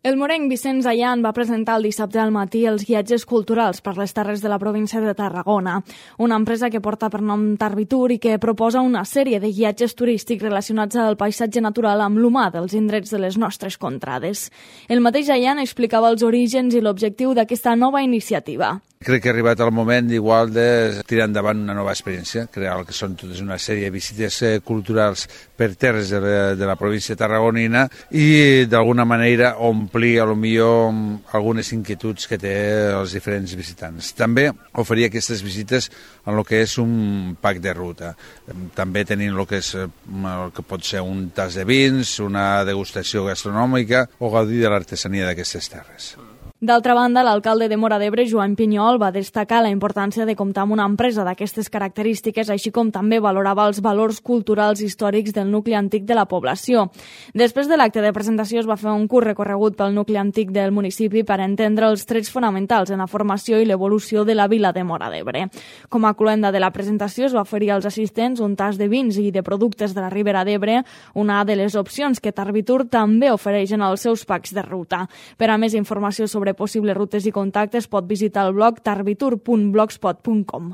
El morenc Vicenç Allan va presentar el dissabte al matí els guiatges culturals per les terres de la província de Tarragona, una empresa que porta per nom Tarvitur i que proposa una sèrie de guiatges turístics relacionats al paisatge natural amb l'humà dels indrets de les nostres contrades. El mateix Allan explicava els orígens i l'objectiu d'aquesta nova iniciativa. Crec que ha arribat el moment igual de tirar endavant una nova experiència, crear el que són totes una sèrie de visites culturals per terres de la província tarragonina i d'alguna manera omplir a lo millor algunes inquietuds que té els diferents visitants. També oferir aquestes visites en el que és un pack de ruta. També tenint el que pot ser un tas de vins, una degustació gastronòmica o gaudir de l'artesania d'aquestes terres. D'altra banda, l'alcalde de Móra d'Ebre, Joan Pinyol, va destacar la importància de comptar amb una empresa d'aquestes característiques, així com també valorava els valors culturals històrics del nucli antic de la població. Després de l'acte de presentació es va fer un curt recorregut pel nucli antic del municipi per entendre els trets fonamentals en la formació i l'evolució de la vila de Móra d'Ebre. Com a cloenda de la presentació es va oferir als assistents un tas de vins i de productes de la Ribera d'Ebre, una de les opcions que Tarvitur també ofereix en els seus packs de ruta. Per a més informació sobre possibles rutes i contactes pot visitar el blog tarvitur.blogspot.com.